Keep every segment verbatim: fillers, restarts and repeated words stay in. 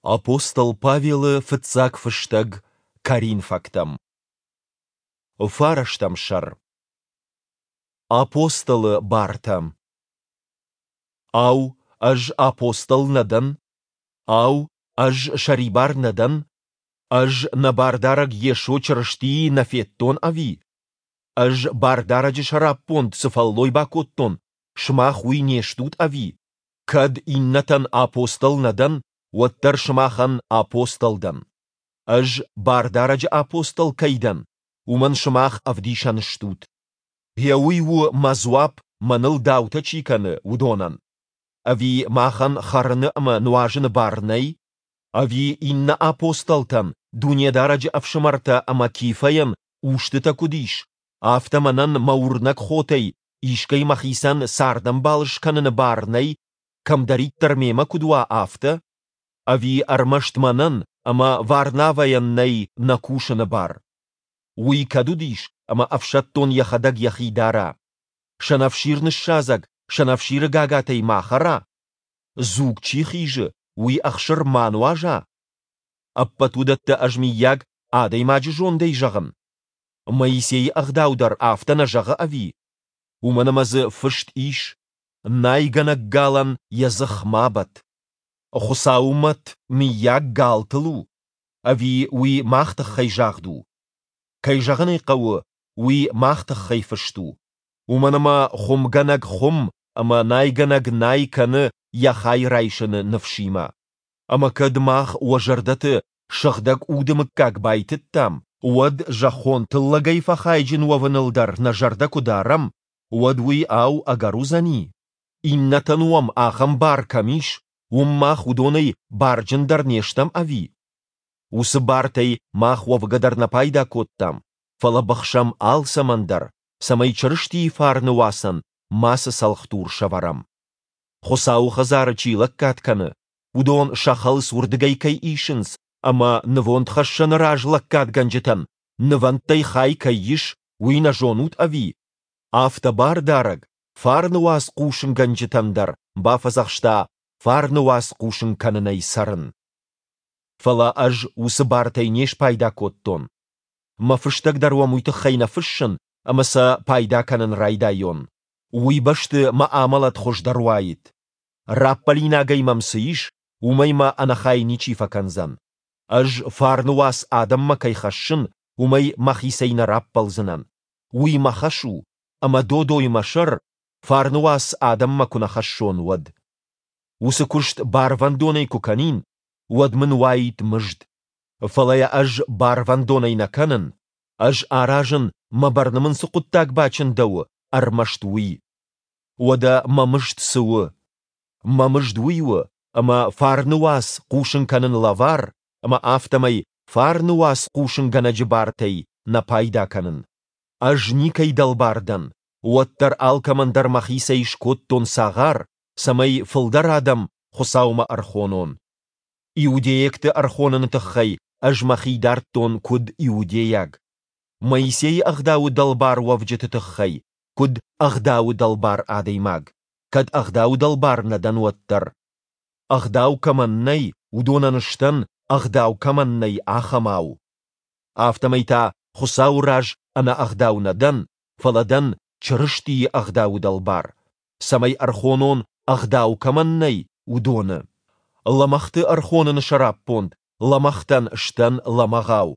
Апостол Павелы фыццаг фыстӕг Коринфӕгтӕм. Фарӕстӕм сӕр. Апостолы бартӕ. Ау, ӕз апостол нӕ дӕн? Ау, ӕз сӕрибар нӕ дӕн? Ӕз нӕ Бардарӕг Йесо Чырыстийы нӕ федтон, ӕви? Ӕз Бардарӕджы сӕраппонд цы фӕллой бакодтон, сымах уый не стут, ӕви? Кӕд иннӕтӕн апостол нӕ дӕн, уӕддӕр сымахӕн апостол дӕн. Ӕз Бардарӕджы апостол кӕй дӕн, уымӕн сымах ӕвдисӕн стут. Гъе уый у мӕ дзуапп, мӕныл даутӕ чи кӕны, уыдонӕн. Ӕви махӕн хӕрыны ӕмӕ нуазыны бар нӕй? Ӕви иннӕ апостолтӕн, Дунедарӕджы ӕфсымӕртӕ ӕмӕ Кифӕйӕн устытӕ куыд ис, афтӕ мӕнӕн мӕ уырнӕг хотӕй искӕй мӕхицӕн цардӕмбал скӕныны бар нӕй, кӕмдӕриддӕр мемӕ куыд уа, афтӕ? Ӕви ӕрмӕст мӕнӕн ӕмӕ Варнавӕйӕн нӕй нӕ кусыны бар? Уый кӕд уыдис, ӕмӕ ӕфсӕддон йӕхӕдӕг йӕхи дара? Сӕнӕфсир ныссадзӕг сӕнӕфсиры гагатӕй ма хӕра? Дзуг чи хизы, уый ӕхсыр ма нуаза? Ӕппӕт уыдӕттӕ ӕз, мыййаг, адӕймаджы зондӕй зӕгъын? Моисейы ӕгъдау дӕр афтӕ нӕ зӕгъы, ӕви? Уымӕн ӕмӕ дзы фыст ис: «Найгӕнӕг галӕн йӕ дзых ма бӕтт». Хуыцауы мӕт, мыййаг, галтыл у? Ӕви уый мах тыххӕй загъд у? Кӕй зӕгъын ӕй хъӕуы, уый мах тыххӕй фыст у. Уымӕн ӕмӕ хуымгӕнӕг хуым ӕмӕ найгӕнӕг най кӕны йӕ хай райсыны ныфсимӕ. Ӕмӕ кӕд мах уӕ зӕрдӕты Сыгъдӕг Уды мыггаг байтыдтам, уӕд зӕххон тыллӕгӕй фӕхайджын уӕвыныл дӕр нӕ зӕрдӕ куы дарӕм, уӕд уый, ау, ӕгӕр уыдзӕни? Иннӕтӕн уӕм ахӕм бар кӕм ис, уым мах уыдонӕй барджындӕр не стӕм, ӕви? Уыцы бартӕй мах уӕвгӕ дӕр нӕ пайда кодтам, фӕлӕ быхсӕм алцӕмӕн дӕр, цӕмӕй Чырыстийы фарны уацӕн мацы цӕлхдур сӕвӕрӕм. Хуыцауы хӕдзары чи лӕггад кӕны, уыдон сӕ хӕлц уырдыгӕй кӕй исынц ӕмӕ нывондхӕссӕны раз лӕггадгӕнджытӕн нывӕндтӕй хай кӕй ис, уый нӕ зонут, ӕви? Афтӕ Бардарӕг фарны уац хъусынгӕнджытӕн дӕр бафӕдзӕхста фарны уац хъусын кӕнынӕй цӕрын. Фӕлӕ ӕз уыцы бартӕй не спайда кодтон. Мӕ фыстӕг дӕр уӕм уый тыххӕй нӕ фыссын, ӕмӕ сӕ пайда кӕнын райдайон. Уый бӕсты мӕ амӕлӕт хуыздӕр уаид. Раппӕлинагӕй мӕм цы ис, уымӕй мӕ ӕнӕхай ничи фӕкӕндзӕн. Ӕз фарны уац адӕммӕ кӕй хӕссын, уымӕй мӕхицӕй нӕ раппӕлдзынӕн. Уый мӕ хӕс у, ӕмӕ додой мӕ сӕр, фарны уац адӕммӕ куы нӕ хӕссон, уӕд. Уыцы куыст барвӕндонӕй куы кӕнин, уӕд мын уаид мызд. Фӕлӕ йӕ ӕз барвӕндонӕй нӕ кӕнын, ӕз аразын, мӕ бӕрны мын цы хъуыддаг бачындӕуы, ӕрмӕст уый. Уӕдӕ мӕ мызд цы у? Мӕ мызд уый у, ӕмӕ фарны уац хъусын кӕнын лӕвар, ӕмӕ афтӕмӕй фарны уац хъусынгӕнӕджы бартӕй нӕ пайда кӕнын. Ӕз никӕй дӕлбар дӕн, уӕддӕр алкӕмӕн дӕр мӕхицӕй скодтон цагъар, цӕмӕй фылдӕр адӕм Хуыцаумӕ ӕрхонон. Иудейӕгты ӕрхоныны тыххӕй ӕз мӕхи дардтон куыд иудейаг. Моисейы ӕгъдауы дӕлбар уӕвджыты тыххӕй, куыд ӕгъдауы дӕлбар адӕймаг, кӕд ӕгъдауы дӕлбар нӕ дӕн, уӕддӕр. Ӕгъдау кӕмӕн нӕй, уыдонӕн сдӕн, ӕгъдау кӕмӕн нӕй, ахӕмау. Афтӕмӕй та Хуыцауы раз ӕнӕ ӕгъдау нӕ дӕн, фӕлӕ дӕн Чырыстийы ӕгъдауы дӕлбар, цӕмӕй ӕрхонон, ӕгъдау кӕмӕн нӕй, уыдоны. Лӕмӕгъты ӕрхоныны сӕраппонд лӕмӕгътӕн сдӕн лӕмӕгъау.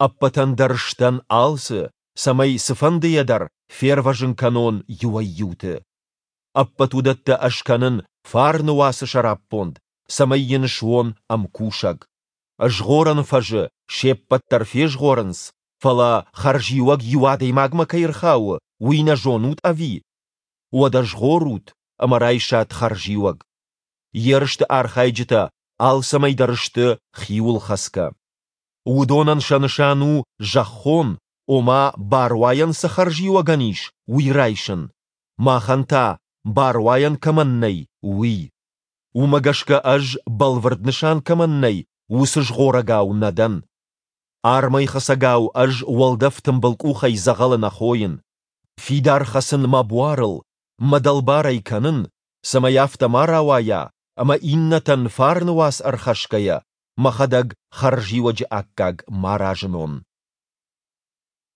Ӕппӕтӕн дӕр сдӕн алцы, цӕмӕй цыфӕндыйӕ дӕр фервӕзын кӕнон иуӕй-иуты. Ӕппӕт уыдӕттӕ ӕз кӕнын фарны уацы сӕраппонд, цӕмӕй йын суон ӕмкусӕг. Згъорӕн фӕзы се ппӕт дӕр фезгъорынц, фӕлӕ хӕрзиуӕг иу адӕймагмӕ кӕй ӕрхауы, уый нӕ зонут, ӕви? Уӕдӕ згъорут ӕмӕ райсат хӕрзиуӕг. Ерысты архайджытӕ алцӕмӕй дӕр сты хиуылхӕцгӕ. Уыдонӕн сӕ нысан у зӕххон, ома баруайӕн цы хӕрзиуӕгӕн ис, уый райсын, махӕн та, баруайӕн кӕмӕн нӕй, уый. Уымӕ гӕсгӕ ӕз, бӕлвырд нысан кӕмӕн нӕй, уыцы згъорӕгау нӕ дӕн. Армӕй хӕцӕгау ӕз уӕлдӕф тымбыл къухӕй дзӕгъӕлы нӕ хойын. Фидар хӕцын мӕ буарыл, мӕ дӕлбар ӕй кӕнын, цӕмӕй афтӕ ма рауайа, ӕмӕ иннӕтӕн фарны уац ӕрхӕсгӕйӕ, мӕхӕдӕг хӕрзиуӕджы аккаг ма разынон.